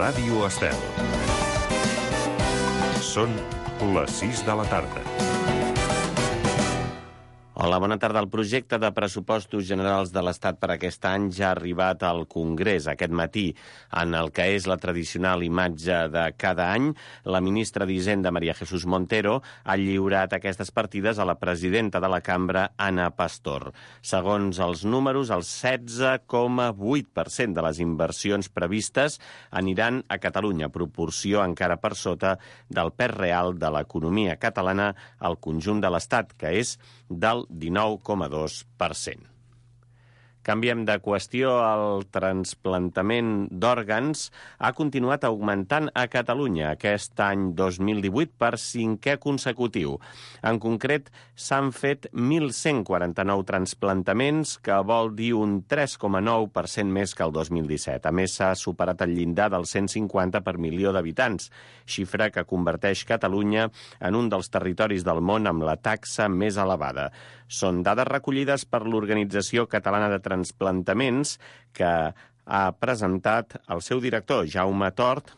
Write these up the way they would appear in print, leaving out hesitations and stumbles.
Ràdio Estel. Són les 6 de la tarda. Hola, bona tarda. El projecte de pressupostos generals de l'Estat per aquest any ja ha arribat al Congrés aquest matí. En el que és la tradicional imatge de cada any, la ministra d'Hisenda, María Jesús Montero, ha lliurat aquestes partides a la presidenta de la cambra, Ana Pastor. Segons els números, el 16,8% de les inversions previstes aniran a Catalunya, proporció encara per sota del pes real de l'economia catalana al conjunt de l'Estat, que és del 19,2%. Canviem de qüestió. El trasplantament d'òrgans ha continuat augmentant a Catalunya aquest any 2018 per 5è consecutiu. En concret, s'han fet 1.149 transplantaments, que vol dir un 3,9% més que el 2017. A més, s'ha superat el llindar dels 150 per milió d'habitants, xifra que converteix Catalunya en un dels territoris del món amb la taxa més elevada. Són dades recollides per l'Organització Catalana de Transplantaments, que ha presentat el seu director, Jaume Tort,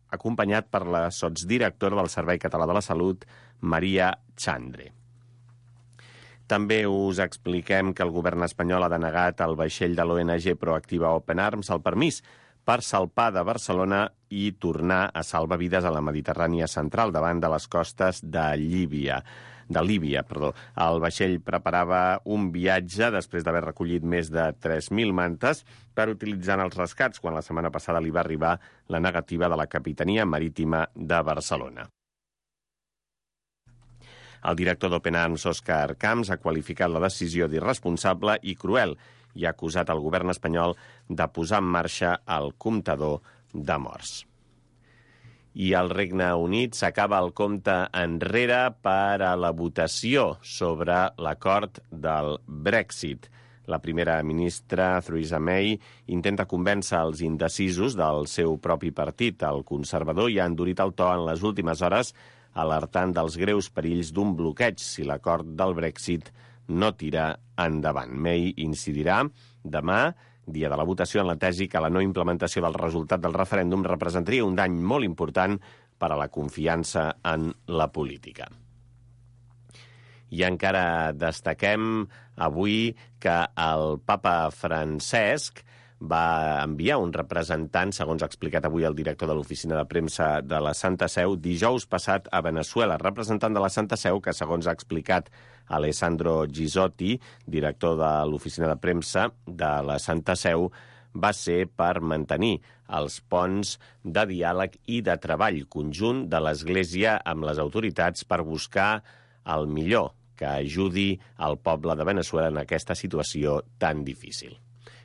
acompanyat per la sotsdirectora del Servei Català de la Salut, Maria Chandre. També us expliquem que el govern espanyol ha denegat al vaixell de l'ONG Proactiva Open Arms el permís per salpar de Barcelona i tornar a salvar vides a la Mediterrània central davant de les costes de Líbia. El vaixell preparava un viatge després d'haver recollit més de 3.000 mantes per utilitzar en els rescats, quan la setmana passada li va arribar la negativa de la Capitania Marítima de Barcelona. El director d'Open Arms, Òscar Camps, ha qualificat la decisió d'irresponsable i cruel i ha acusat el govern espanyol de posar en marxa el comptador de morts. I al Regne Unit s'acaba el compte enrere per a la votació sobre l'acord del Brexit. La primera ministra, Theresa May, intenta convèncer els indecisos del seu propi partit, el conservador, i ha endurit el to en les últimes hores, alertant dels greus perills d'un bloqueig si l'acord del Brexit no tira endavant. May incidirà demà, dia de la votació, en la tesi que la no implementació del resultat del referèndum representaria un dany molt important per a la confiança en la política. I encara destaquem avui que el papa Francesc va enviar un representant, segons ha explicat avui el director de l'oficina de premsa de la Santa Seu, dijous passat a Veneçuela. Representant de la Santa Seu que, segons ha explicat Alessandro Gisotti, director de l'oficina de premsa de la Santa Seu, va ser per mantenir els ponts de diàleg i de treball conjunt de l'Església amb les autoritats per buscar el millor que ajudi al poble de Veneçuela en aquesta situació tan difícil.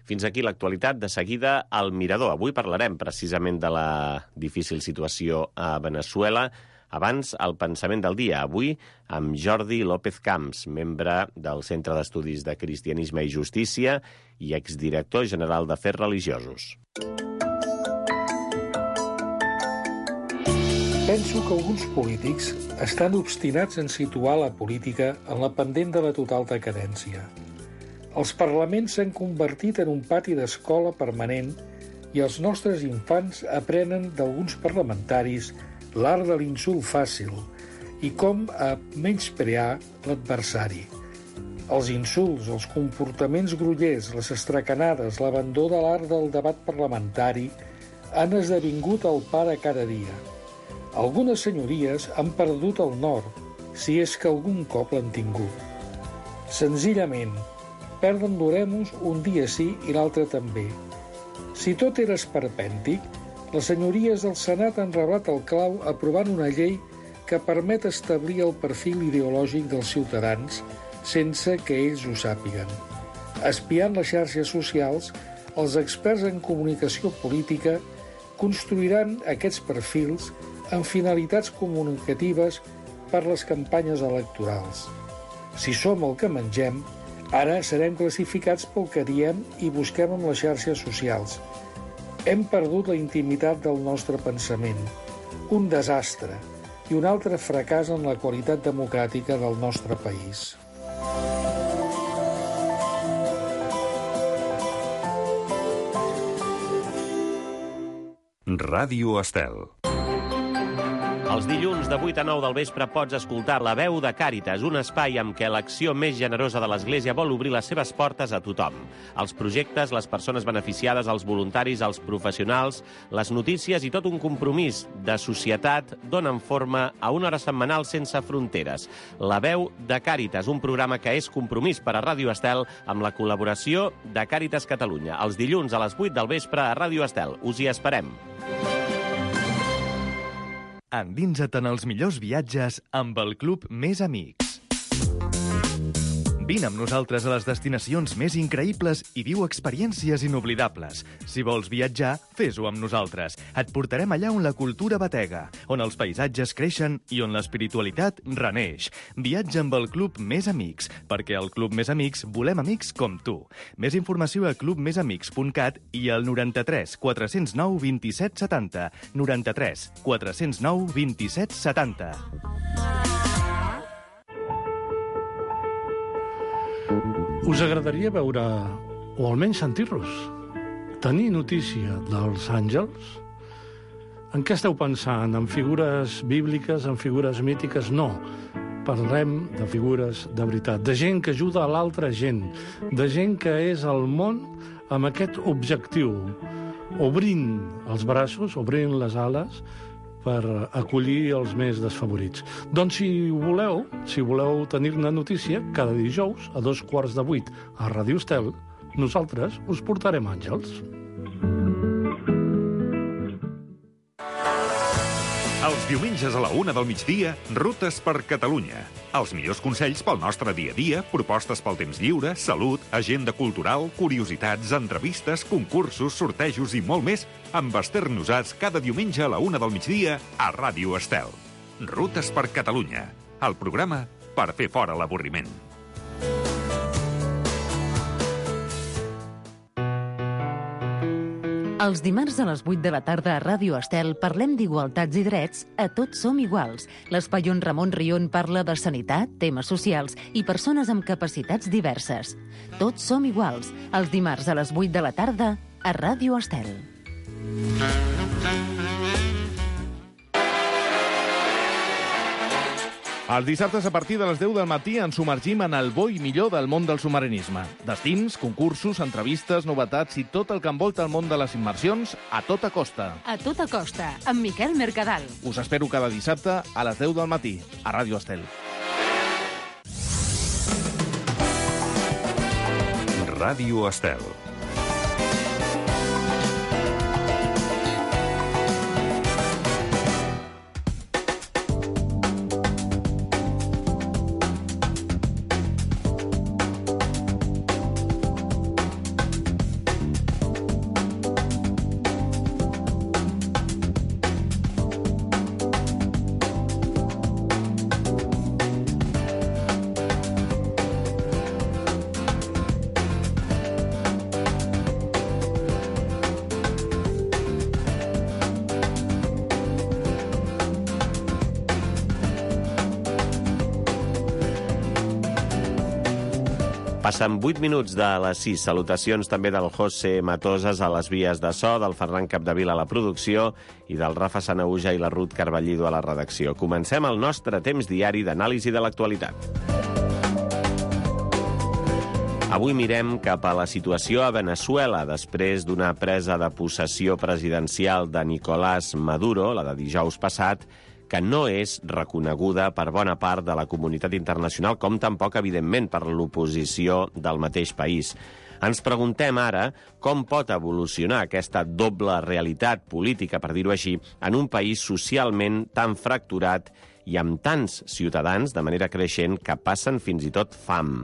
Fins aquí l'actualitat. De seguida, al Mirador. Avui parlarem precisament de la difícil situació a Veneçuela. Abans, el pensament del dia. Avui, amb Jordi López Camps, membre del Centre d'Estudis de Cristianisme i Justícia i exdirector general d'Afers Religiosos. Penso que alguns polítics estan obstinats en situar la política en la pendent de la total decadència. Els parlaments s'han convertit en un pati d'escola permanent i els nostres infants aprenen d'alguns parlamentaris l'art de l'insult fàcil i com a menysprear l'adversari. Els insults, els comportaments grollers, les estracanades, l'abandó de l'art del debat parlamentari han esdevingut el pa de cada dia. Algunes senyories han perdut el nord, si és que algun cop l'han tingut. Senzillament, perden l'oremus un dia sí i l'altre també. Si tot era esperpèntic, les senyories del Senat han reblat el clau aprovant una llei que permet establir el perfil ideològic dels ciutadans sense que ells ho sàpiguen. Espiant les xarxes socials, els experts en comunicació política construiran aquests perfils amb finalitats comunicatives per les campanyes electorals. Si som el que mengem, ara serem classificats pel que diem i busquem en les xarxes socials. Hem perdut la intimitat del nostre pensament. Un desastre i un altre fracàs en la qualitat democràtica del nostre país. Ràdio Estel. Els dilluns de 8 a 9 del vespre pots escoltar La Veu de Càritas, un espai amb què l'acció més generosa de l'Església vol obrir les seves portes a tothom. Els projectes, les persones beneficiades, els voluntaris, els professionals, les notícies i tot un compromís de societat donen forma a una hora setmanal sense fronteres. La Veu de Càritas, un programa que és compromís per a Ràdio Estel amb la col·laboració de Càritas Catalunya. Els dilluns a les 8 del vespre a Ràdio Estel. Us hi esperem. Endinsa't en els millors viatges amb el Club Més Amics. Vine amb nosaltres a les destinacions més increïbles i viu experiències inoblidables. Si vols viatjar, fes-ho amb nosaltres. Et portarem allà on la cultura batega, on els paisatges creixen i on l'espiritualitat reneix. Viatja amb el Club Més Amics, perquè al Club Més Amics volem amics com tu. Més informació a clubmesamics.cat i al 93 409 27 70. 93 409 27 70. Us agradaria veure, o almenys sentir-los, tenir notícia dels àngels? En què esteu pensant? En figures bíbliques, en figures mítiques? No. Parlem de figures de veritat, de gent que ajuda a l'altra gent, de gent que és al món amb aquest objectiu, obrint els braços, obrint les ales, per acollir els més desfavorits. Doncs si voleu tenir-ne notícia, cada dijous a 7:15 a Ràdio Estel, nosaltres us portarem àngels. Els diumenges a la 1 del migdia, Rutes per Catalunya. Els millors consells pel nostre dia a dia, propostes pel temps lliure, salut, agenda cultural, curiositats, entrevistes, concursos, sortejos i molt més, amb Esther Nosats cada diumenge a la 1 del migdia a Ràdio Estel. Rutes per Catalunya, el programa per fer fora l'avorriment. Els dimarts a les 8 de la tarda a Ràdio Estel parlem d'igualtats i drets a Tots som iguals. L'espai on Ramon Rion parla de sanitat, temes socials i persones amb capacitats diverses. Tots som iguals, els dimarts a les 8 de la tarda a Ràdio Estel. Els dissabtes a partir de les 10 del matí ens submergim en el bo i millor del món del submarinisme. Destins, concursos, entrevistes, novetats i tot el que envolta el món de les immersions a tota costa. A tota costa, amb Miquel Mercadal. Us espero cada dissabte a les 10 del matí a Ràdio Estel. Ràdio Estel. Passen 8 minuts de les 6. Salutacions també del José Matoses a les vies de so, del Ferran Capdevila a la producció i del Rafa Sanaúja i la Ruth Carballido a la redacció. Comencem el nostre temps diari d'anàlisi de l'actualitat. Avui mirem cap a la situació a Veneçuela després d'una presa de possessió presidencial de Nicolás Maduro, la de dijous passat, que no és reconeguda per bona part de la comunitat internacional, com tampoc, evidentment, per l'oposició del mateix país. Ens preguntem ara com pot evolucionar aquesta doble realitat política, per dir-ho així, en un país socialment tan fracturat i amb tants ciutadans, de manera creixent, que passen fins i tot fam.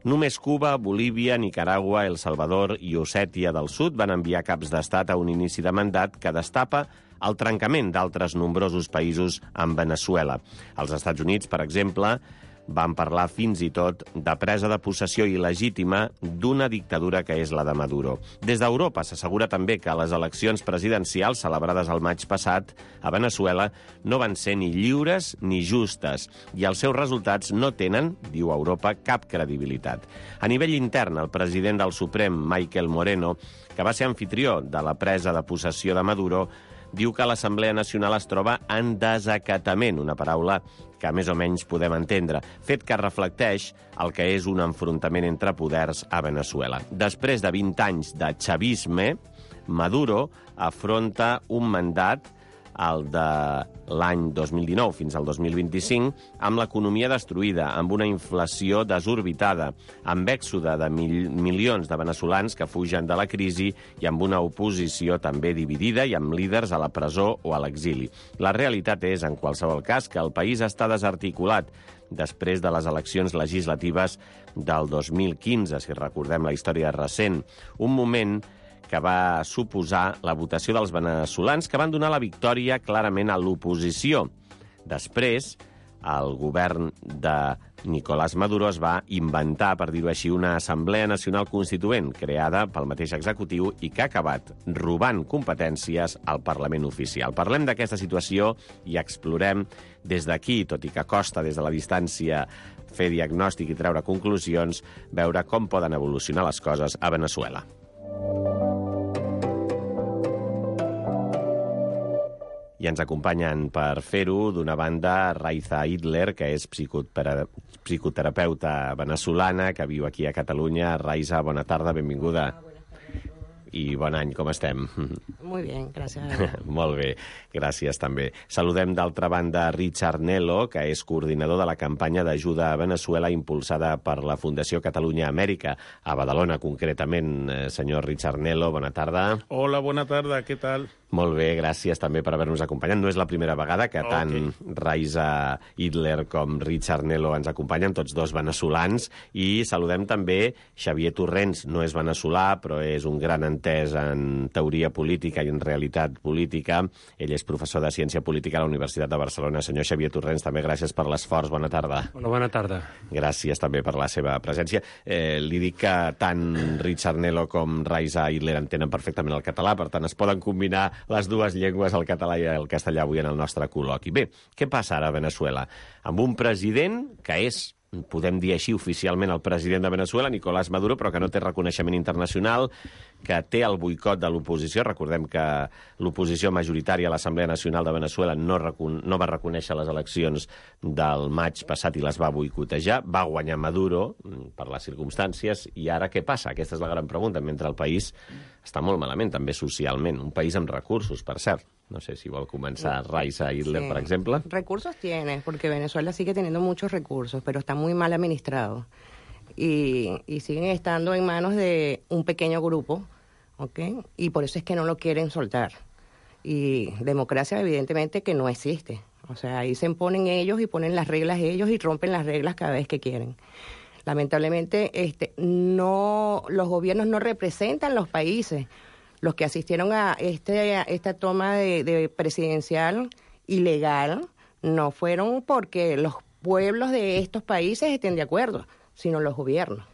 Només Cuba, Bolívia, Nicaragua, El Salvador i Ossètia del Sud van enviar caps d'estat a un inici de mandat que destapa el trencament d'altres nombrosos països amb Veneçuela. Els Estats Units, per exemple, van parlar fins i tot de presa de possessió il·legítima d'una dictadura que és la de Maduro. Des d'Europa s'assegura també que les eleccions presidencials celebrades el maig passat a Veneçuela no van ser ni lliures ni justes i els seus resultats no tenen, diu Europa, cap credibilitat. A nivell intern, el president del Suprem, Michael Moreno, que va ser anfitrió de la presa de possessió de Maduro, diu que l'Assemblea Nacional es troba en desacatament, una paraula que més o menys podem entendre, fet que reflecteix el que és un enfrontament entre poders a Veneçuela. Després de 20 anys de chavisme, Maduro afronta un mandat, el de l'any 2019 fins al 2025, amb l'economia destruïda, amb una inflació desorbitada, amb èxode de milions de veneçolans que fugen de la crisi i amb una oposició també dividida i amb líders a la presó o a l'exili. La realitat és, en qualsevol cas, que el país està desarticulat després de les eleccions legislatives del 2015, si recordem la història recent. Un moment que va suposar la votació dels veneçolans que van donar la victòria clarament a l'oposició. Després, el govern de Nicolás Maduro es va inventar, per dir-ho així, una Assemblea Nacional Constituent creada pel mateix executiu i que ha acabat robant competències al Parlament oficial. Parlem d'aquesta situació i explorem des d'aquí, tot i que costa des de la distància fer diagnòstic i treure conclusions, veure com poden evolucionar les coses a Veneçuela. I ens acompanyen per fer-ho, d'una banda, Raiza Hitler, que és psicoterapeuta veneçolana, que viu aquí a Catalunya. Raiza, bona tarda, benvinguda. I bon any, com estem? Muy bien, gràcies. Molt bé, gràcies també. Saludem d'altra banda Richard Nelo, que és coordinador de la campanya d'ajuda a Veneçuela impulsada per la Fundació Catalunya Amèrica, a Badalona concretament. Senyor Richard Nelo, bona tarda. Hola, bona tarda, què tal? Molt bé, gràcies també per haver-nos acompanyat. No és la primera vegada que tant Raiza Hitler com Richard Nelo ens acompanyen, tots dos veneçolans, i saludem també Xavier Torrents. No és veneçolà, però és un gran entès en teoria política i en realitat política. Ell és professor de Ciència Política a la Universitat de Barcelona. Senyor Xavier Torrents, també gràcies per l'esforç. Bona tarda. Hola, bona tarda. Gràcies també per la seva presència. Li dic que tant Richard Nelo com Raiza Hitler entenen perfectament el català, per tant es poden combinar les dues llengües, el català i el castellà, avui en el nostre col·loqui. Bé, què passa ara a Veneçuela? Amb un president que és, podem dir així oficialment, el president de Veneçuela, Nicolás Maduro, però que no té reconeixement internacional, que té el boicot de l'oposició. Recordem que l'oposició majoritària a l'Assemblea Nacional de Veneçuela no va reconèixer les eleccions del maig passat i les va boicotejar. Va guanyar Maduro per les circumstàncies. I ara què passa? Aquesta és la gran pregunta, mentre el país està molt malament, també socialment. Un país amb recursos, per cert. No sé si vol comenzar Raiza Hitler, por ejemplo. Recursos tiene, porque Venezuela sigue teniendo muchos recursos, pero está muy mal administrado. Y siguen estando en manos de un pequeño grupo, ¿ok? Y por eso es que no lo quieren soltar. Y democracia, evidentemente, que no existe. O sea, ahí se imponen ellos y ponen las reglas ellos y rompen las reglas cada vez que quieren. Lamentablemente, los gobiernos no representan los países. Los que asistieron a esta toma de presidencial ilegal no fueron porque los pueblos de estos países estén de acuerdo, sino los gobiernos,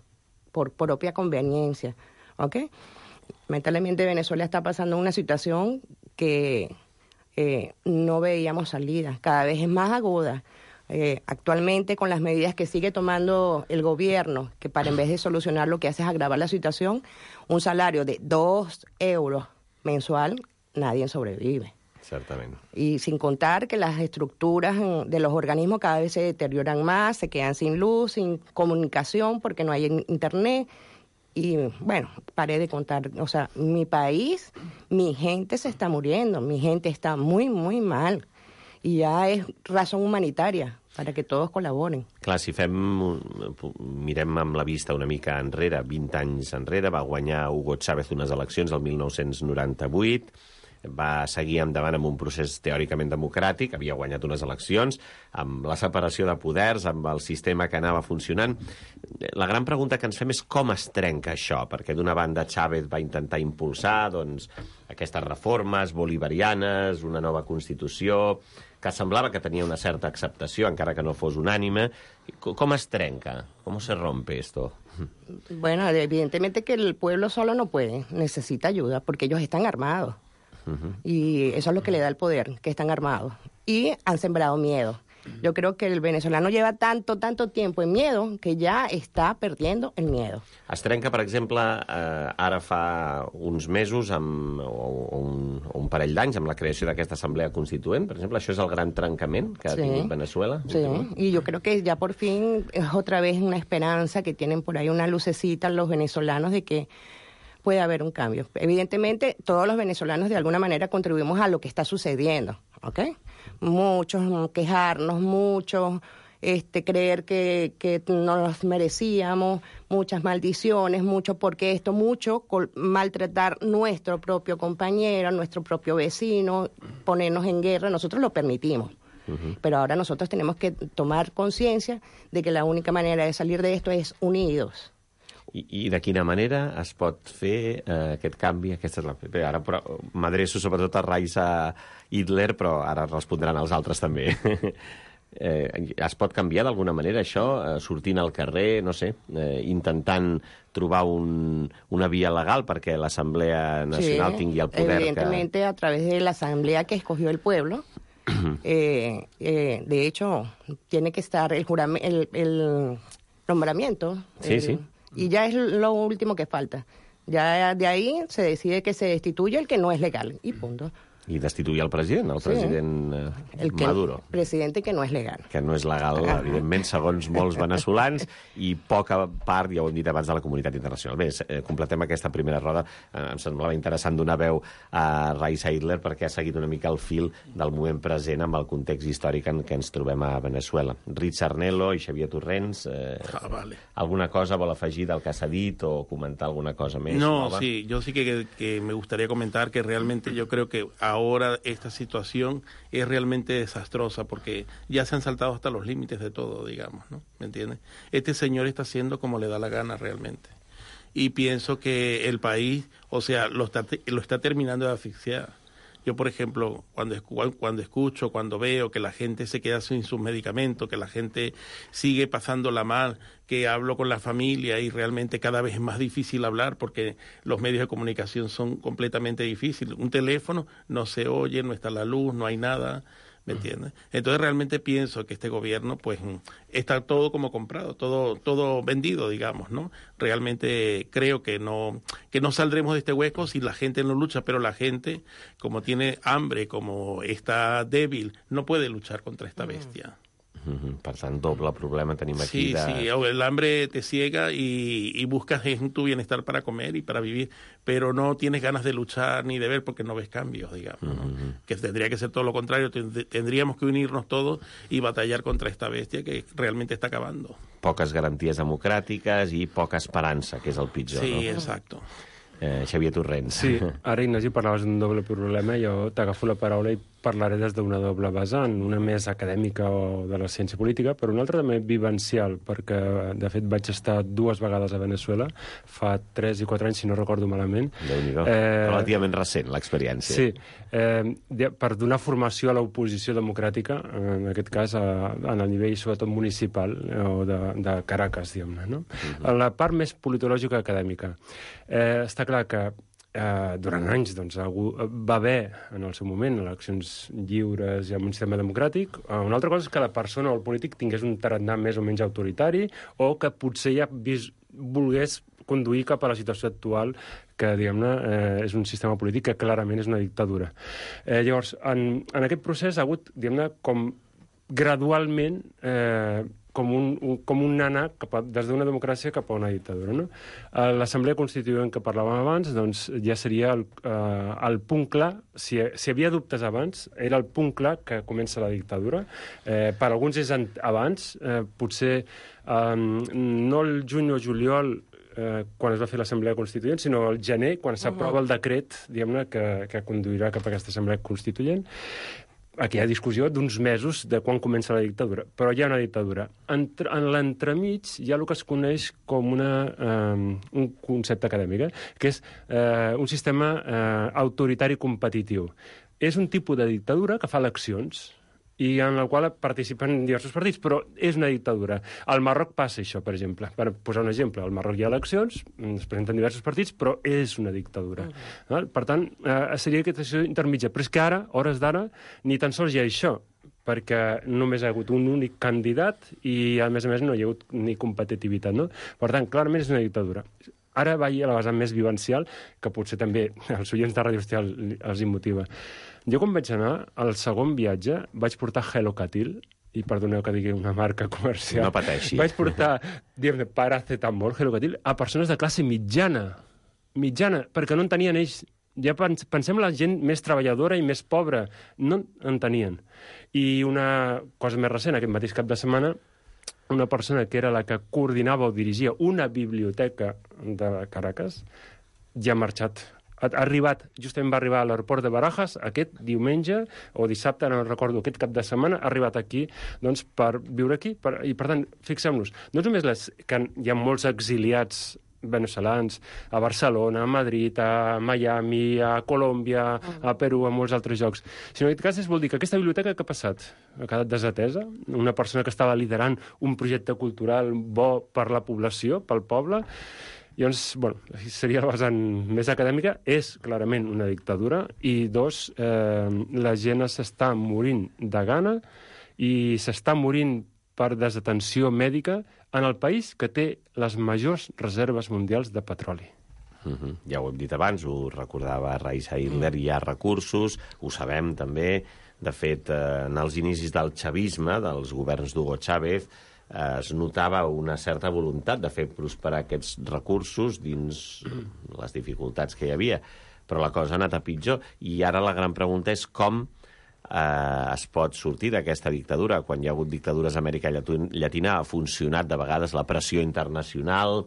por propia conveniencia. ¿Ok? Lamentablemente Venezuela está pasando una situación que no veíamos salida, cada vez es más aguda. Actualmente, con las medidas que sigue tomando el gobierno, que para en vez de solucionar lo que hace es agravar la situación, un salario de 2 euros mensual, nadie sobrevive. Certament. Y sin contar que las estructuras de los organismos cada vez se deterioran más, se quedan sin luz, sin comunicación, porque no hay internet. Y bueno, paré de contar. O sea, mi país, mi gente se está muriendo, mi gente está muy, muy mal. I ja és raó humanitària perquè tots col·laboren. Clar, si mirem amb la vista una mica enrere, 20 anys enrere, va guanyar Hugo Chávez unes eleccions el 1998, va seguir endavant amb un procés teòricament democràtic, havia guanyat unes eleccions, amb la separació de poders, amb el sistema que anava funcionant. La gran pregunta que ens fem és com es trenca això, perquè d'una banda Chávez va intentar impulsar aquestes reformes bolivarianes, una nova Constitució, que semblava que tenia una certa acceptació, encara que no fos unànime. Com es trenca? ¿Cómo se rompe esto? Bueno, evidentemente que el pueblo solo no puede, necesita ayuda, porque ellos están armados. Y eso es lo que le da el poder, que están armados. Y han sembrado miedo. Yo creo que el venezolano lleva tanto tiempo en miedo que ya está perdiendo el miedo. Es trenca, per exemple, ara fa uns mesos o un parell d'anys amb la creació d'aquesta assemblea constituent. Per exemple, això és el gran trencament que ha tingut Venezuela. Sí, y yo creo que ya por fin es otra vez una esperanza que tienen por ahí una lucecita los venezolanos de que puede haber un cambio. Evidentemente, todos los venezolanos de alguna manera contribuimos a lo que está sucediendo, ¿ok? Muchos quejarnos, muchos creer que no los merecíamos, muchas maldiciones, mucho porque esto, mucho maltratar nuestro propio compañero, nuestro propio vecino, ponernos en guerra, nosotros lo permitimos. Pero ahora nosotros tenemos que tomar conciencia de que la única manera de salir de esto es unidos. I de quina manera es pot fer aquest canvi? Aquesta és la... Bé, ara m'adreço sobretot a Raisa Hitler, però ara respondran els altres també. Es pot canviar d'alguna manera això, sortint al carrer, no sé, intentant trobar una via legal perquè l'Assemblea Nacional tingui el poder evidentemente a través de la asamblea que escogió el pueblo. De hecho, tiene que estar el nombramiento. Sí. Y ya es lo último que falta. Ya de ahí se decide que se destituye el que no es legal. Y punto. I destituir el president, president Maduro. El presidente que no és legal. Que no és legal, evidentment, segons molts venezolans, i poca part, ja ho hem dit abans, de la comunitat internacional. Bé, completem aquesta primera roda. Em semblava interessant donar veu a Raisa Hitler perquè ha seguit una mica el fil del moment present amb el context històric en què ens trobem a Venezuela. Richard Arnelo i Xavier Torrents, alguna cosa vol afegir del que s'ha dit o comentar alguna cosa més? No, sí, yo sí que me gustaría comentar que realmente yo creo que ahora esta situación es realmente desastrosa porque ya se han saltado hasta los límites de todo, digamos, ¿no? ¿Me entiendes? Este señor está haciendo como le da la gana realmente. Y pienso que el país, o sea, lo está terminando de asfixiar. Yo, por ejemplo, cuando escucho, cuando veo que la gente se queda sin sus medicamentos, que la gente sigue pasándola mal, que hablo con la familia y realmente cada vez es más difícil hablar porque los medios de comunicación son completamente difíciles. Un teléfono no se oye, no está la luz, no hay nada, ¿me entiendes? Entonces realmente pienso que este gobierno pues está todo como comprado, todo vendido, digamos, ¿no? Realmente creo que no saldremos de este hueco si la gente no lucha, pero la gente, como tiene hambre, como está débil, no puede luchar contra esta bestia. Per tant, doble problema tenim aquí. Sí, el hambre te ciega y buscas en tu bienestar para comer y para vivir, pero no tienes ganas de luchar ni de ver porque no ves cambios, digamos, ¿no? Que tendría que ser todo lo contrario, tendríamos que unirnos todos y batallar contra esta bestia que realmente está acabando. Poques garanties democràtiques i poca esperança, que és el pitjor, sí, no? Sí, exacto. Xavier Torrents. Sí, ara, Ignasi, parlaves d'un doble problema, jo t'agafo la paraula i parlaré des d'una doble vessant, una més acadèmica o de la ciència política, però una altra també vivencial, perquè, de fet, vaig estar 2 vegades a Venezuela, fa 3 i 4 anys, si no recordo malament. Déu-n'hi-do. Relativament recent, l'experiència. Sí, per donar formació a l'oposició democràtica, en aquest cas, en el nivell, sobretot, municipal, o de Caracas, diguem-ne, no? La part més politològica acadèmica. Està clar que durant anys doncs, va haver, en el seu moment, eleccions lliures i amb un sistema democràtic. Una altra cosa és que la persona o el polític tingués un tarannà més o menys autoritari o que potser ja volgués conduir cap a la situació actual que, diguem-ne, és un sistema polític que clarament és una dictadura. Llavors, en aquest procés ha hagut, diguem-ne, com gradualment com un anar des d'una democràcia cap a una dictadura, no? L'Assemblea Constituent que parlàvem abans doncs, ja seria el punt clar, si hi havia dubtes abans, era el punt clar que comença la dictadura. Per alguns és abans, potser no el juny o juliol quan es va fer l'Assemblea Constituent, sinó el gener, quan s'aprova el decret, diguem-ne, que conduirà cap a aquesta Assemblea Constituent. Aquí hi ha discussió d'uns mesos de quan comença la dictadura, però hi ha una dictadura. En l'entremig hi ha el que es coneix com un concepte acadèmic, que és un sistema autoritari competitiu. És un tipus de dictadura que fa eleccions i en la qual participen diversos partits, però és una dictadura. Al Marroc passa això, per exemple. Per posar un exemple, al Marroc hi ha eleccions, es presenten diversos partits, però és una dictadura. Per tant, seria aquesta situació intermitja. Però és que ara, hores d'ara, ni tan sols hi ha això, perquè només ha hagut un únic candidat i, a més, no hi ha hagut ni competitivitat, no? Per tant, clarament és una dictadura. Ara vaig a la vessant més vivencial, que potser també els oients de Ràdio Hostal els motiva. Jo, quan vaig anar, al segon viatge, vaig portar Hello Catil, i perdoneu que digui una marca comercial. No pateixi. Vaig portar, diguem-ne, paracetamol, Hello Catil, a persones de classe mitjana, perquè no en tenien ells. Ja pensem la gent més treballadora i més pobra. No en tenien. I una cosa més recent, aquest mateix cap de setmana, una persona que era la que coordinava o dirigia una biblioteca de Caracas ja ha marxat. Justament va arribar a l'aeroport de Barajas aquest diumenge o dissabte, no recordo, aquest cap de setmana, ha arribat aquí doncs, per viure aquí. I, per tant, fixem-nos, no només que hi ha molts exiliats veneçolans a Barcelona, a Madrid, a Miami, a Colòmbia, a Perú, a molts altres llocs. Sinó en aquest cas vol dir que aquesta biblioteca que ha passat? Ha quedat desatesa? Una persona que estava liderant un projecte cultural bo per la població, pel poble? Llavors, bueno, seria la vessant més acadèmica, és clarament una dictadura, i dos, la gent s'està morint de gana i s'està morint per desatenció mèdica en el país que té les majors reserves mundials de petroli. Ja ho hem dit abans, ho recordava Raisa Hitler, hi ha recursos, ho sabem també. De fet, en els inicis del xavisme, dels governs d'Hugo Chávez, es notava una certa voluntat de fer prosperar aquests recursos dins les dificultats que hi havia. Però la cosa ha anat a pitjor, i ara la gran pregunta és com es pot sortir d'aquesta dictadura. Quan hi ha hagut dictadures a Amèrica Llatina ha funcionat de vegades la pressió internacional,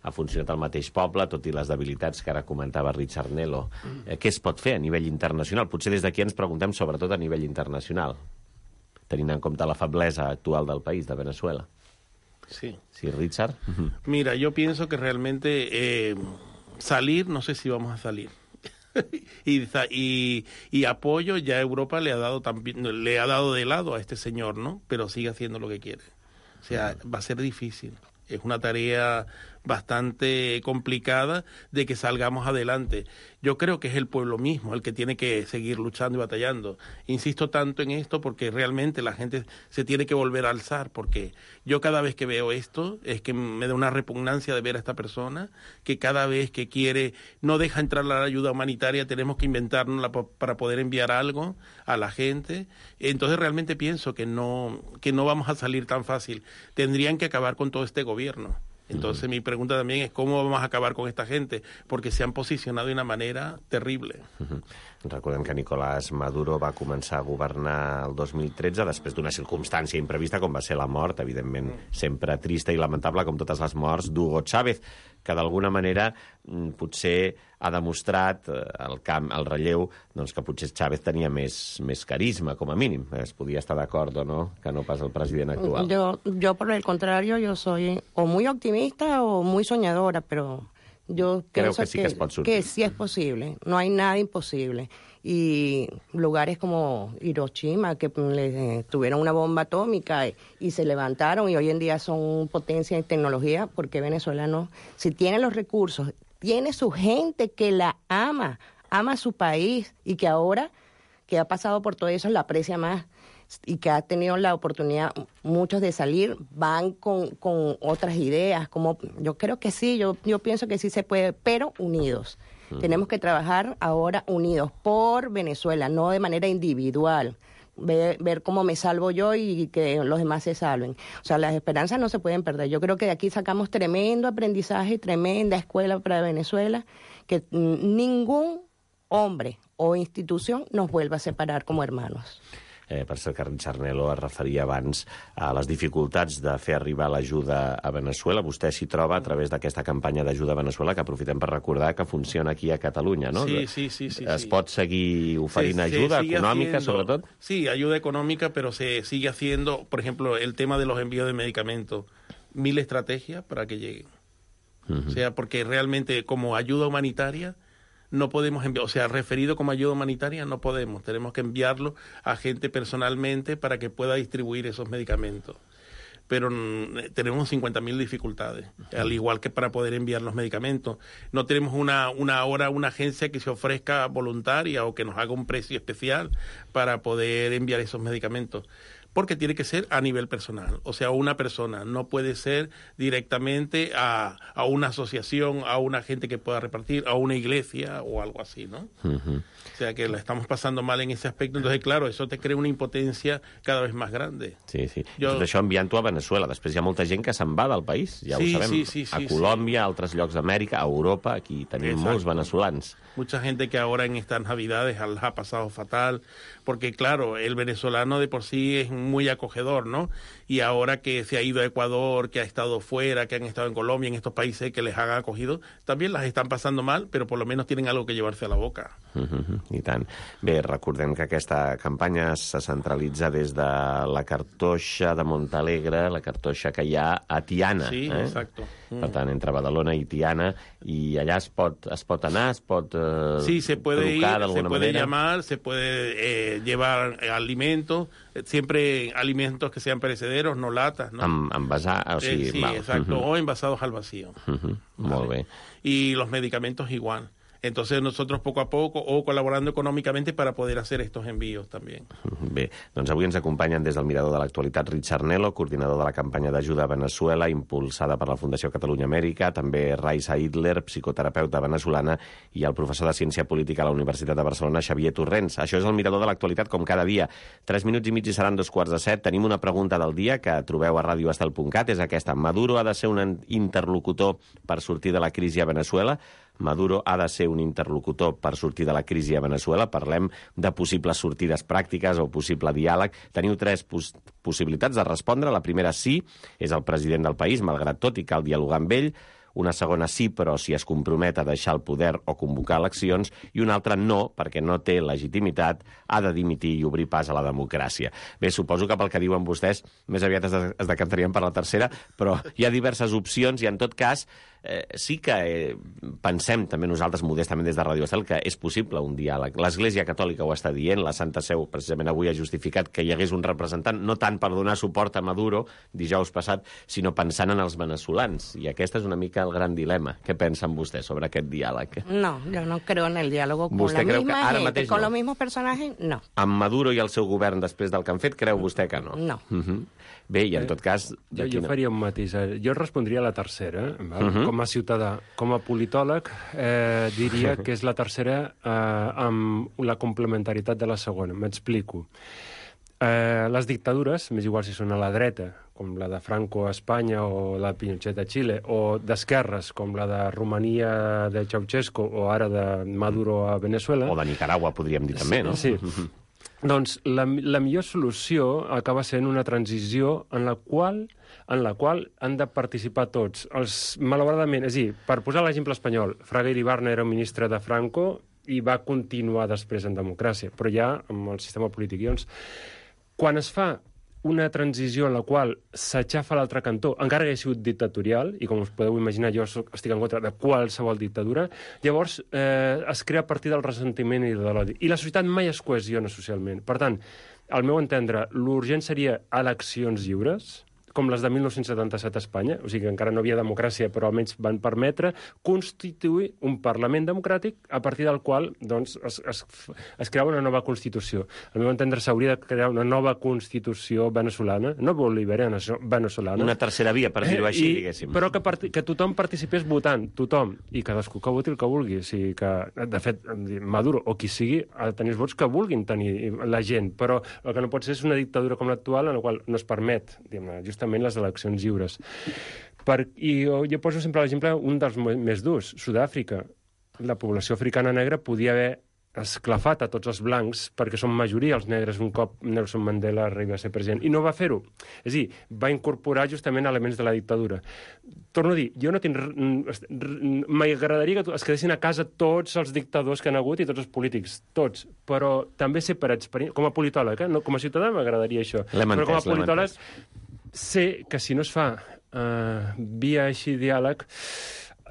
ha funcionat el mateix poble, tot i les debilitats que ara comentava Richard Nelo. Què es pot fer a nivell internacional? Potser des d'aquí ens preguntem sobretot a nivell internacional, tenint en compte la feblesa actual del país, de Venezuela. Sí. Sí, Richard. Mira, yo pienso que realmente salir, no sé si vamos a salir. y apoyo, ya Europa le ha dado de lado a este señor, ¿no? Pero sigue haciendo lo que quiere. O sea, va a ser difícil. Es una tarea bastante complicada de que salgamos adelante. Yo creo que es el pueblo mismo el que tiene que seguir luchando y batallando. Insisto tanto en esto porque realmente la gente se tiene que volver a alzar, porque yo cada vez que veo esto es que me da una repugnancia de ver a esta persona que cada vez que quiere no deja entrar la ayuda humanitaria, tenemos que inventárnosla para poder enviar algo a la gente. Entonces realmente pienso que no vamos a salir tan fácil. Tendrían que acabar con todo este gobierno. Entonces mi pregunta también es cómo vamos a acabar con esta gente, porque se han posicionado de una manera terrible. Recordem que Nicolás Maduro va començar a governar el 2013 després d'una circumstància imprevista com va ser la mort, evidentment sempre trista i lamentable com totes les morts d'Hugo Chávez, que d'alguna manera potser ha demostrat el relleu doncs, que potser Chávez tenia més carisma, com a mínim. Es podia estar d'acord o no, que no pas el president actual. Yo por el contrario, yo soy o muy optimista o muy soñadora, pero yo pienso que sí es posible. No hay nada imposible. Y lugares como Hiroshima, que tuvieron una bomba atómica y se levantaron y hoy en día son potencia en tecnología, porque Venezuela no. Si tiene los recursos, tiene su gente que la ama su país y que ahora que ha pasado por todo eso la aprecia más y que ha tenido la oportunidad muchos de salir, van con otras ideas. Como yo creo que sí, yo pienso que sí se puede, pero unidos. Tenemos que trabajar ahora unidos por Venezuela, no de manera individual. Ver cómo me salvo yo y que los demás se salven. O sea, las esperanzas no se pueden perder. Yo creo que de aquí sacamos tremendo aprendizaje, tremenda escuela para Venezuela, que ningún hombre o institución nos vuelva a separar como hermanos. Per cert que Richard Nelo es referia abans a les dificultats de fer arribar l'ajuda a Venezuela. Vostè s'hi troba a través d'aquesta campanya d'ajuda a Venezuela, que aprofitem per recordar que funciona aquí a Catalunya, ¿no? Sí. Es pot seguir oferint ajuda econòmica, sobretot? Sí, ayuda económica, pero se sigue haciendo, por ejemplo, el tema de los envíos de medicamentos. 1000 estrategias para que lleguen. O sea, porque realmente como ayuda humanitaria no podemos enviar, o sea, referido como ayuda humanitaria no podemos, tenemos que enviarlo a gente personalmente para que pueda distribuir esos medicamentos. pero tenemos 50.000 dificultades, al igual que para poder enviar los medicamentos. No tenemos una agencia que se ofrezca voluntaria o que nos haga un precio especial para poder enviar esos medicamentos, porque tiene que ser a nivel personal, o sea, una persona, no puede ser directamente a una asociación, a una gente que pueda repartir, a una iglesia o algo así, ¿no? O sea, que la estamos pasando mal en ese aspecto, entonces, claro, eso te crea una impotencia cada vez más grande. Sí. Tot això enviant-ho a Venezuela. Després hi ha molta gent que se'n va del país, ja ho sabem. A Colòmbia, a altres llocs d'Amèrica, a Europa, aquí tenim molts venezolans. Mucha gente que ahora en estas Navidades les ha pasado fatal, porque claro, el venezolano de por sí es muy acogedor, ¿no? Y ahora que se ha ido a Ecuador, que ha estado fuera, que han estado en Colombia, en estos países que les han acogido, también las están pasando mal, pero por lo menos tienen algo que llevarse a la boca. I tant. Bé, recordem que aquesta campanya se centralitza des de la cartoixa de Montalegre, la cartoixa que hi ha a Tiana. Sí, exacto. Per tant, entre Badalona i Tiana, i allà es pot anar, es pot sí, se puede trucar ir, d'alguna se puede manera. llamar, se puede llevar alimentos, siempre alimentos que sean perecederos, no latas, ¿no? Envasar, o sigui... sí, exacto, o envasados al vacío. Molt bé. Y los medicamentos igual. Entonces nosotros poco a poco o colaborando econòmicamente para poder hacer estos envíos también. Bé, doncs avui ens acompanyen des del Mirador de l'Actualitat Richard Nelo, coordinador de la campanya d'ajuda a Venezuela, impulsada per la Fundació Catalunya Amèrica, també Raisa Hitler, psicoterapeuta venezolana, i el professor de Ciència Política a la Universitat de Barcelona, Xavier Torrents. Això és el Mirador de l'Actualitat com cada dia. 3 minuts i mig i seran 2:45. Tenim una pregunta del dia que trobeu a radioestel.cat, és aquesta. Maduro ha de ser un interlocutor per sortir de la crisi a Venezuela? Maduro ha de ser un interlocutor per sortir de la crisi a Venezuela. Parlem de possibles sortides pràctiques o possible diàleg. Teniu 3 possibilitats de respondre. La primera, sí, és el president del país, malgrat tot, i cal dialogar amb ell. Una segona, sí, però si es compromet a deixar el poder o convocar eleccions. I una altra, no, perquè no té legitimitat, ha de dimitir i obrir pas a la democràcia. Bé, suposo que pel que diuen vostès, més aviat es decantarien per la tercera, però hi ha diverses opcions i, en tot cas, sí que pensem també nosaltres modestament des de Radio Estel que és possible un diàleg. L'Església Catòlica ho està dient, la Santa Seu precisament avui ha justificat que hi hagués un representant, no tant per donar suport a Maduro dijous passat, sinó pensant en els venezolans. I aquest és una mica el gran dilema. Què pensen vostès sobre aquest diàleg? No, yo no creo en el diálogo con la misma gente, con los mismos personajes, no. Amb Maduro i el seu govern després del que han fet, creu vostè que no? No. Bé, i en tot cas... Jo faria un matís. Jo respondria a la tercera, com a ciutadà. Com a politòleg, diria que és la tercera amb la complementaritat de la segona. M'explico. Les dictadures, m'és igual si són a la dreta, com la de Franco a Espanya o la de Pinochet a Xile, o d'esquerres, com la de Romania de Ceausescu o ara de Maduro a Venezuela... O de Nicaragua, podríem dir també, no? Sí. Doncs la millor solució acaba sent una transició en la qual han de participar tots. Malauradament, és a dir, per posar l'exemple espanyol, Fraga Iribarne era un ministre de Franco i va continuar després en democràcia, però ja amb el sistema polític. Doncs, quan es fa una transició en la qual s'aixafa l'altre cantó, encara que hagi sigut dictatorial, i com us podeu imaginar jo estic en contra de qualsevol dictadura, llavors es crea a partir del ressentiment i de l'odi. I la societat mai es cohesiona socialment. Per tant, al meu entendre, l'urgent seria eleccions lliures, com les de 1977 a Espanya, o sigui que encara no havia democràcia, però almenys van permetre constituir un Parlament democràtic a partir del qual doncs, es crea una nova Constitució. Al meu entendre, s'hauria de crear una nova Constitució venezolana, no bolivariana, venezolana. Una tercera via, per dir-ho així, diguéssim. Però que tothom participés votant, tothom, i cadascú que voti el que vulgui. O sigui que, de fet, Maduro o qui sigui ha de tenir els vots que vulguin tenir la gent, però el que no pot ser és una dictadura com l'actual en la qual no es permet, justament les eleccions lliures. I jo poso sempre l'exemple un dels més durs, Sud-àfrica. La població africana negra podia haver esclafat a tots els blancs perquè són majoria els negres un cop Nelson Mandela arriba a ser president. I no va fer-ho. És a dir, va incorporar justament elements de la dictadura. Torno a dir, jo no tinc... M'agradaria que es quedessin a casa tots els dictadors que han hagut i tots els polítics, tots. Però també sé per experiència... Com a politòleg, no, com a ciutadà m'agradaria això. Però com a politòleg sé que si no es fa via així diàleg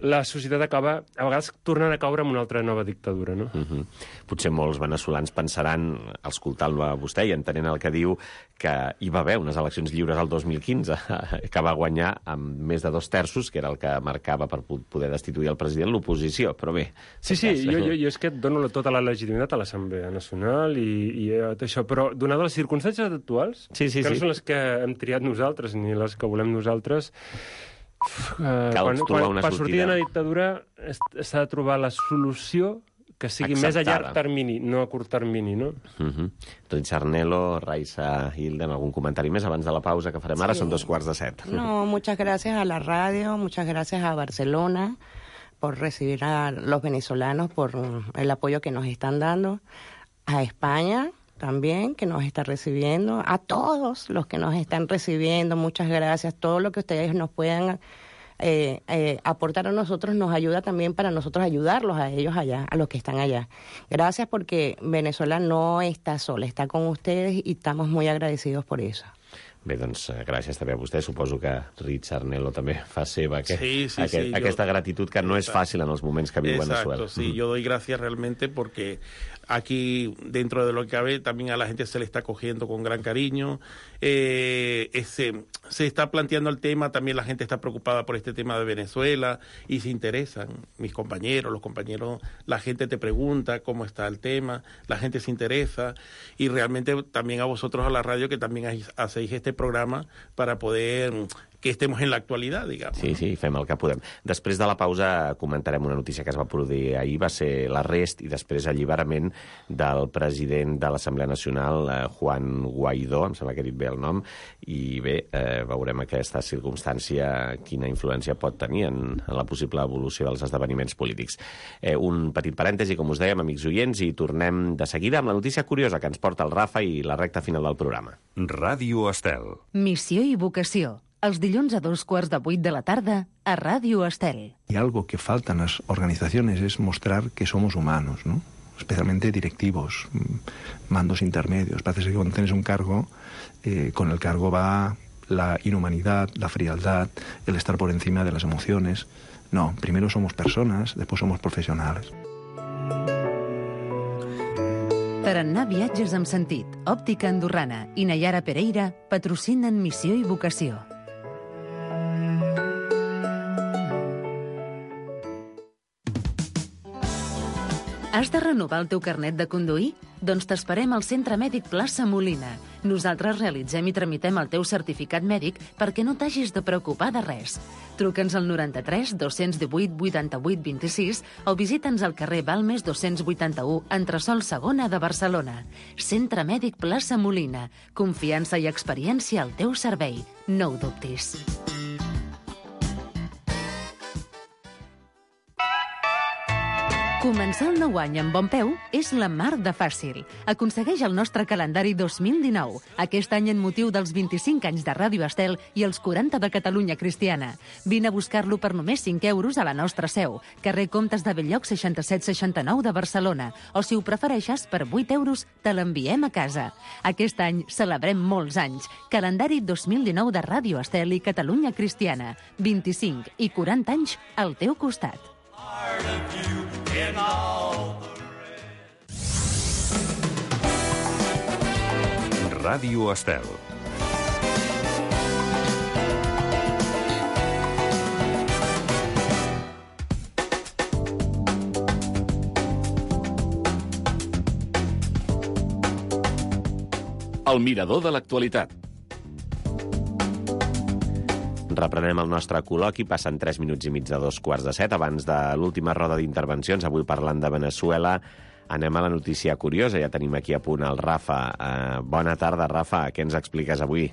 la societat acaba, a vegades, tornant a caure en una altra nova dictadura, no? Potser molts veneçolans pensaran, escoltant-lo a vostè i entenent el que diu, que hi va haver unes eleccions lliures al 2015, que va guanyar amb més de 2/3, que era el que marcava per poder destituir el president, l'oposició, però bé... Sí, jo és que dono tota la legitimitat a l'Assemblea Nacional i tot això, però donades les circumstàncies actuals, que no són les que hem triat nosaltres ni les que volem nosaltres, cal trobar una sortida. Per sortir d'una dictadura s'ha de trobar la solució que sigui més a llarg termini, no a curt termini, no? Doncs Charnelo, Raisa, Hilda, algun comentari més abans de la pausa que farem ara? Són 6:45. No, muchas gracias a la radio, muchas gracias a Barcelona por recibir a los venezolanos, por el apoyo que nos están dando, a España también, que nos está recibiendo, a todos los que nos están recibiendo, muchas gracias. Todo lo que ustedes nos puedan aportar a nosotros nos ayuda también para nosotros ayudarlos a ellos allá, a los que están allá. Gracias porque Venezuela no está sola, está con ustedes y estamos muy agradecidos por eso. Bé, doncs gràcies també a vostè. Suposo que Richard Nelo també fa seva aquesta gratitud que no es fàcil en els moments que viu Venezuela. Exacto, sí, yo doy gracias realmente porque aquí, dentro de lo que cabe, también a la gente se le está cogiendo con gran cariño. Se está planteando el tema, también la gente está preocupada por este tema de Venezuela y se interesan. Mis compañeros, los compañeros, la gente te pregunta cómo está el tema, la gente se interesa y realmente también a vosotros, a la radio, que también hacéis este programa para poder que estemos en l'actualitat, diguem. Sí, fem el que podem. Després de la pausa comentarem una notícia que es va produir ahir, va ser l'arrest i després alliberament del president de l'Assemblea Nacional, Juan Guaidó, em sembla que he dit bé el nom, i bé, veurem aquesta circumstància, quina influència pot tenir en la possible evolució dels esdeveniments polítics. Un petit parèntesi, com us dèiem, amics oients, i tornem de seguida amb la notícia curiosa que ens porta el Rafa i la recta final del programa. Ràdio Estel. Missió i vocació. Els dilluns a 7:15 de la tarda a Ràdio Estel. Y algo que falta en las organizaciones es mostrar que somos humanos, ¿no? Especialmente directivos, mandos intermedios. Parece que cuando tienes un cargo, con el cargo va la inhumanidad, la frialdad, el estar por encima de las emociones. No, primero somos personas, después somos profesionales. Tarannà Viatges amb sentit, Òptica Andorrana i Nayara Pereira patrocinen Missió i vocació. Has de renovar el teu carnet de conduir? Doncs t'esperem al Centre Mèdic Plaça Molina. Nosaltres realitzem i tramitem el teu certificat mèdic perquè no t'hagis de preocupar de res. Truca'ns al 93 218 88 26 o visita'ns al carrer Balmes 281, entresòl segona de Barcelona. Centre Mèdic Plaça Molina. Confiança i experiència al teu servei. No ho dubtis. Començar el nou any amb bon peu és la mar de fàcil. Aconsegueix el nostre calendari 2019, aquest any en motiu dels 25 anys de Ràdio Estel i els 40 de Catalunya Cristiana. Vine a buscar-lo per només 5 euros a la nostra seu, carrer Comtes de Belllloc 6769 de Barcelona, o si ho prefereixes, per 8 euros te l'enviem a casa. Aquest any celebrem molts anys. Calendari 2019 de Ràdio Estel i Catalunya Cristiana. 25 i 40 anys al teu costat. Ràdio Estel. El mirador de l'actualitat. Reprenem el nostre col·loqui, passen 3 minuts i mig de 7:15. Abans de l'última roda d'intervencions, avui parlant de Veneçuela, anem a la notícia curiosa. Ja tenim aquí a punt el Rafa. Bona tarda, Rafa. Què ens expliques avui?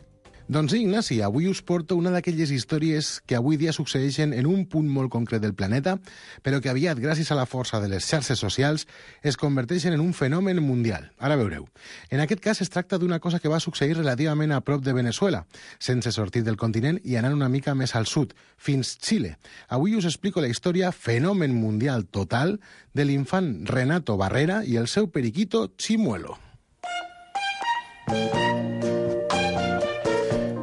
Doncs sí, Ignasi, avui us porto una d'aquelles històries que avui dia succeeixen en un punt molt concret del planeta, però que aviat, gràcies a la força de les xarxes socials, es converteixen en un fenomen mundial. Ara veureu. En aquest cas es tracta d'una cosa que va succeir relativament a prop de Veneçuela, sense sortir del continent i anant una mica més al sud, fins Xile. Avui us explico la història fenomen mundial total de l'infant Renato Barrera i el seu periquito Chimuelo.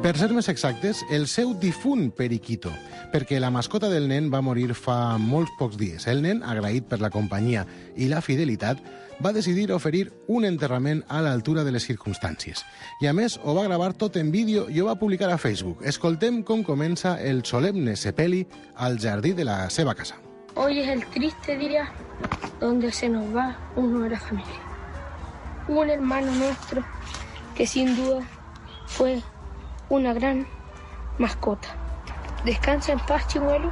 Per Per ser més exactes, el seu difunt periquito, perquè la mascota del nen va morir fa molts pocs dies. El nen, agraït per la companyia i la fidelitat, va decidir oferir un enterrament a l'altura de les circumstàncies. I a més, ho va gravar tot en vídeo i ho va publicar a Facebook. Escoltem com comença el solemne sepeli al jardí de la seva casa. Hoy es el triste día donde se nos va uno de la familia. Un hermano nuestro que sin duda fue una gran mascota. Descansa en paz, Chimuelo.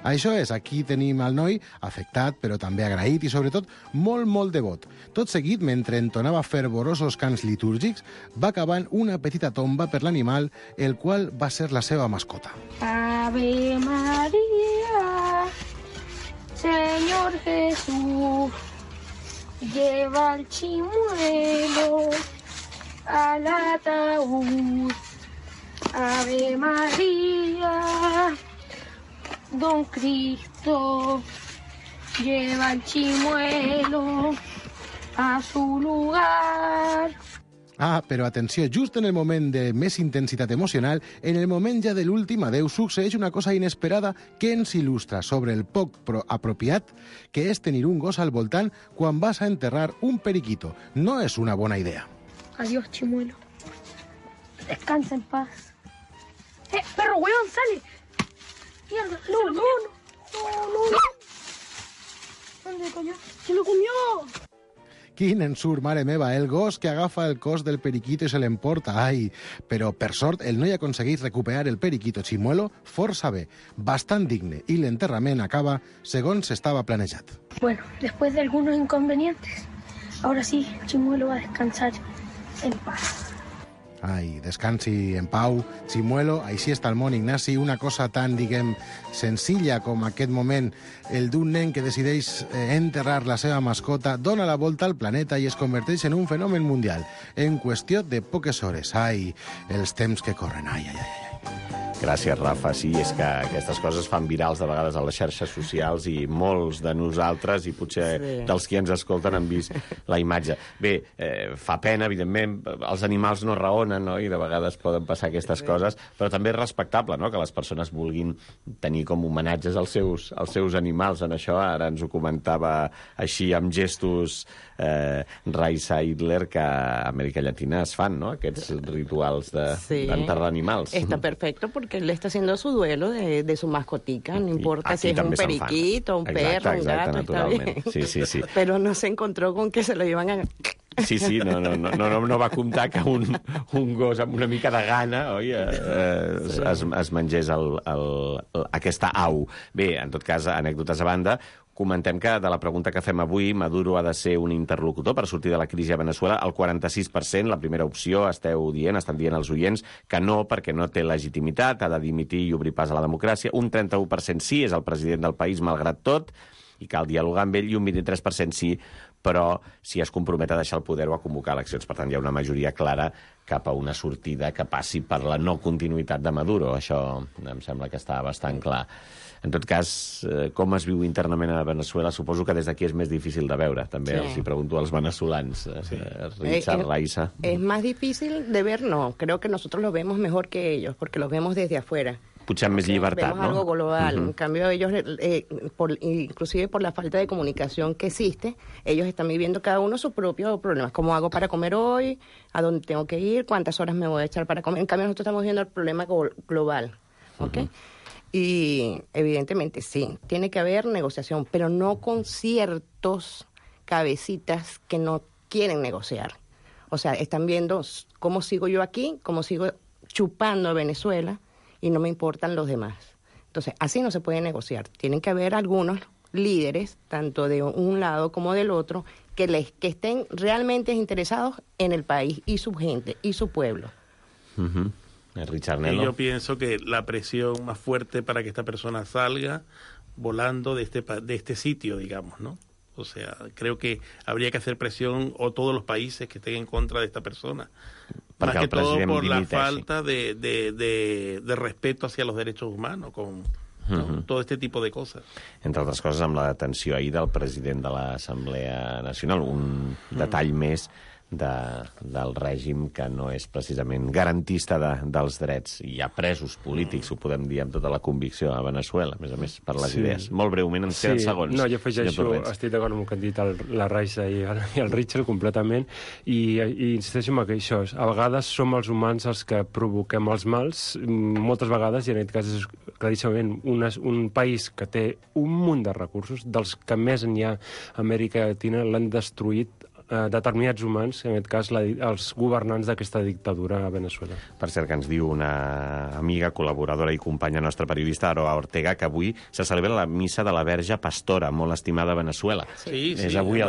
Això és, aquí tenim el noi afectat, però també agraït i, sobretot, molt devot. Tot seguit, mentre entonava fervorosos cants litúrgics, va acabant una petita tomba per l'animal, el qual va ser la seva mascota. Ave María, Señor Jesús, lleva al chimuelo al ataúd. Ave María, Don Cristo, lleva al chimuelo a su lugar. Ah, però atenció, just en el moment de més intensitat emocional, en el moment ja de l'últim adeu, succeeix una cosa inesperada que ens il·lustra sobre el poc apropiat que és tenir un gos al voltant quan vas a enterrar un periquito. No és una bona idea. Adiós, chimuelo. Descansa en paz. Perro, weón, sale. Mierda, no. ¿Dónde coño? ¡Se lo comió! Quin ensurt, mare meva, el gos que agafa el cos del periquito i se l'emporta. Ai, però per sort el noi aconsegueix recuperar el periquito chimuelo força bé, bastant digne, i l'enterrament acaba segons estava planejat. Bueno, después de algunos inconvenientes, ahora sí, Chimuelo va a descansar en paz. Ai, descansi en pau, Chimuelo, així està el món, Ignasi, una cosa tan, diguem, senzilla com aquest moment, el d'un nen que decideix enterrar la seva mascota, dona la volta al planeta i es converteix en un fenomen mundial, en qüestió de poques hores. Ai, els temps que corren, ai. Gràcies, Rafa. Sí, és que aquestes coses fan virals de vegades a les xarxes socials i molts de nosaltres, i potser dels qui ens escolten, han vist la imatge. Bé, fa pena, evidentment, els animals no raonen, no? I de vegades poden passar aquestes coses, però també és respectable, no?, que les persones vulguin tenir com homenatges als seus animals. En això ara ens ho comentava així amb gestos Raisa Hitler, que a Amèrica Llatina es fan, ¿no?, aquests rituals d'enterrar animals. Está perfecto porque él está haciendo su duelo de su mascotica, no importa si es un periquito, un perro, un gato, está bien. Sí. Pero no se encontró con que se lo iban a... Sí, no va comptar que un gos amb una mica de gana, oi, es mengés aquesta au. Bé, en tot cas, anècdotes a banda, comentem que de la pregunta que fem avui, Maduro ha de ser un interlocutor per sortir de la crisi a Venezuela, el 46%, la primera opció, estan dient els oients que no, perquè no té legitimitat, ha de dimitir i obrir pas a la democràcia. Un 31% sí, és el president del país malgrat tot, i cal dialogar amb ell, i un 23% sí, però si es compromet a deixar el poder o a convocar eleccions. Per tant, hi ha una majoria clara cap a una sortida que passi per la no continuïtat de Maduro. Això em sembla que està bastant clar. En tot cas, com es viu internament a Venezuela, suposo que des d'aquí és més difícil de veure. També els hi pregunto als venezolans. Richard, Raisa. Es más difícil de ver, no. Creo que nosotros lo vemos mejor que ellos, porque los vemos desde afuera. Potser amb més llibertat, vemos algo global. En cambio, ellos, inclusive por la falta de comunicación que existe, ellos están viviendo cada uno sus propios problemas. ¿Cómo hago para comer hoy? ¿A dónde tengo que ir? ¿Cuántas horas me voy a echar para comer? En cambio, nosotros estamos viendo el problema global. ¿Ok? Y evidentemente sí, tiene que haber negociación, pero no con ciertos cabecitas que no quieren negociar. O sea, están viendo cómo sigo yo aquí, cómo sigo chupando a Venezuela, y no me importan los demás. Entonces, así no se puede negociar. Tienen que haber algunos líderes, tanto de un lado como del otro, que estén realmente interesados en el país y su gente y su pueblo. Richard Y Nelo. yo pienso que la presión más fuerte para que esta persona salga volando de este sitio, digamos, ¿no? O sea, creo que habría que hacer presión, o todos los países que estén en contra de esta persona. Más que todo por la falta de respeto hacia los derechos humanos, con todo este tipo de cosas. Entre altres coses, amb la detenció ahir del president de l'Assemblea Nacional, un detall més del règim que no és precisament garantista dels drets. Hi ha presos polítics, ho podem dir amb tota la convicció, a Veneçuela, a més, per les idees. Molt breument, ens queden segons. No, jo afegeixo, estic d'acord amb el que han dit la Raisa i el Richard completament, i insisteixo en això. A vegades som els humans els que provoquem els mals, moltes vegades, i en aquest cas és claríssimament un país que té un munt de recursos, dels que més n'hi ha a Amèrica Llatina, l'han destruït determinats humans, en aquest cas els governants d'aquesta dictadura a Veneçuela. Per cert, que ens diu una amiga, col·laboradora i companya nostra periodista, Aroa Ortega, que avui se celebra la missa de la Verge Pastora, molt estimada a Veneçuela. Sí, és avui el